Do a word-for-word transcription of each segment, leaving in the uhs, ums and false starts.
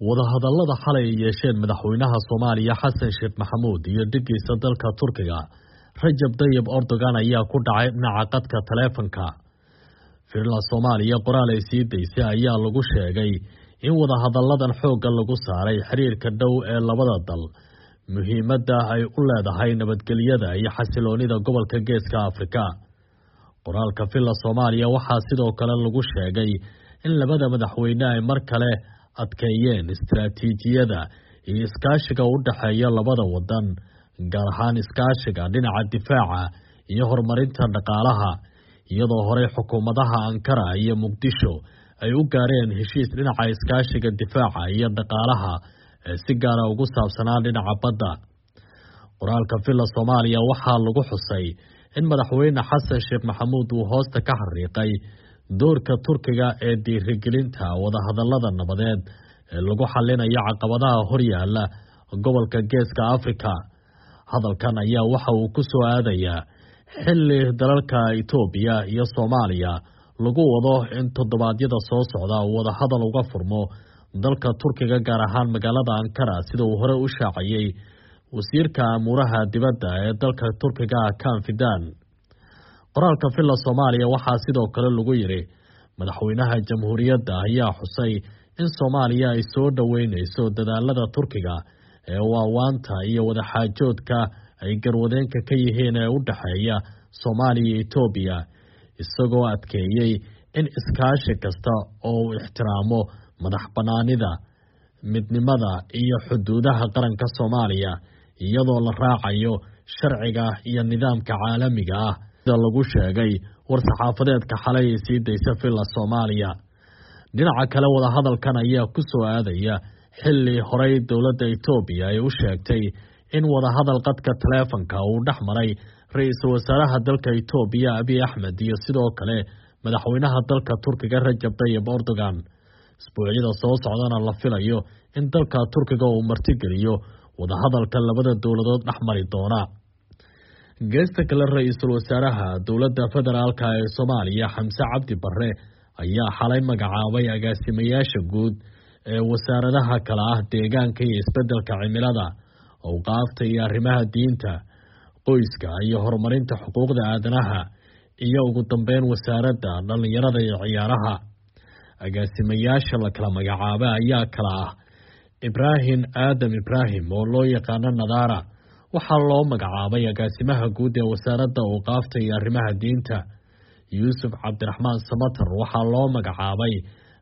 Wadahadallada xalay ay yeesheen madaxweynaha Soomaaliya Xasan Sheekh Maxamuud iyo dhigiisa dalka Turkiga Rajab Tayyip Erdogan ayaa ku dhacay dhinaca qadka taleefanka. Villa Soomaaliya qoraal ay sii daysay ayaa lagu sheegay in wadahadalladan xoogga lagu saaray xiriirka dhow ee labada dal, muhiimadda ay u leedahay nabadgelyada iyo xasiloonida gobolka Geeska Afrika. Qoraalka Villa Soomaaliya waxaa sidoo kale lagu sheegay in labada madaxweyne ay mar kale adkeeyeen istiraatiijiyada iyo iskaashiga u dhexeeya labada wadan, gaar ahaan iskaashiga dhinaca difaaca iyo horumarinta dhaqaalaha, iyadoo horey xukuumadaha Ankara iyo Muqdisho ay u gaareen heshiis dhinaca iskaashiga difaaca iyo dhaqaalaha ee si gaara ugu saabsanaa dhinaca badda. Qoraalka Villa Soomaaliya waxaa lagu xusay in madaxweyne Xasan Sheekh Maxamuud uu hoosta ka xariiqay doorka Turkiga ee dhiirigelinta wadahadallada nabadeed ee lagu xalinayo caqabadaha horyaala gobolka Geeska Afrika. Hadalkan ayaa waxa uu ku soo aadayaa xilli dalalka Itoobiya iyo Soomaaliya lagu wado in toddobaadyada soo socda uu wadahadal uga furmo dalka Turkiga, gaar ahaan magaalada Ankara, sida uu hore u shaaciyey wasiirka amuuraha dibadda ee dalka Turkiga Hakan Fidan. Qoraalka Villa Soomaaliya waxaa sidoo kale lagu yiri madaxweynaha jamhuuriyadda ayaa xusay in Soomaaliya ay soo dhaweyneyso dadaalada Turkiga ee waawaanta iyo wadaxaajoodka ay garwadeenka ka yihiin ee u dhexeeya Soomaaliya iyo Itoobiya, isagoo adkeeyey in iskaashi kasta oo uu ixtiraamo madax bannaanida, midnimada iyo xuduudaha qaranka Soomaaliya, iyadoo la raacayo sharciga iyo nidaamka caalamiga ah, sida lagu sheegay war-saxaafadeedka xalay ay sii daysa Villa Soomaaliya. Dhinaca kale, wadahadalkan ayaa ku soo aadaya xilli horey dowladda Itoobiya ay u sheegtay in wadahadal qadka taleefanka uu dhex maray ra-iisul wasaaraha dalka Itoobiya Abiy Axmed iyo sidoo kale madaxweynaha dalka Turkiga Rajab Tayyip Erdogan. Isbuucyada soo socdana la filayo in dalka Turkiga uu martigeliyo wadahadalka labada dowladood dhex mari doona. Geesta kale, ra-iisul wasaaraha dowladda federaalka ee Soomaaliya Xamse Cabdi Barre ayaa xalay magacaabay agaasimayaasha guud ee wasaaradaha kala ah deegaanka iyo isbeddelka cimilada, awqaafta iyo arrimaha diinta, qoyska iyo horumarinta xuquuqda aadanaha, iyo ugu dambeyn wasaaradda dhallinyarada iyo ciyaaraha. Agaasimayaasha la kala magacaabay ayaa kala ah Ibraahim Aadam Ibraahim oo loo yaqaano Nadaara, waxaa loo magacaabay agaasimaha guud ee wasaaradda awqaafta iyo arrimaha diinta. Yuusuf Cabdiraxmaan Samatar waxaa loo magacaabay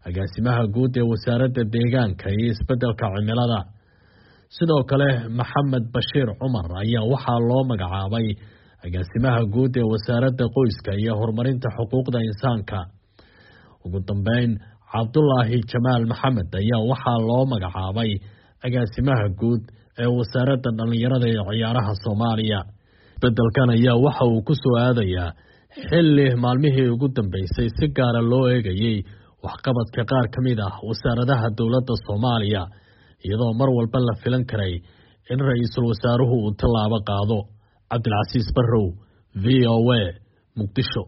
agaasimaha guud ee wasaaradda deegaanka iyo isbeddelka cimilada. Sidoo kale Maxamed Bashiir Cumar ayaa waxaa loo magacaabay agaasimaha guud ee wasaaradda qoyska iyo horumarinta xuquuqda insaanka. Ugu dambeyn, Cabdulaahi Jamaal Maxamed ayaa waxaa loo magacaabay agaasimaha guud ee wasaaradda dhallinyarada iyo ciyaaraha Soomaaliya. Isbeddelkan ayaa waxa uu ku soo aadayaa xilli maalmihii ugu dambeysay si gaara loo eegayey waxqabadka qaar ka mid ah wasaaradaha dowladda Soomaaliya, iyadoo mar walba la filan karay in ra-iisul wasaaruhu uu tallaabo qaado. Cabdilcasiis Barrow, V O A, Muqdisho.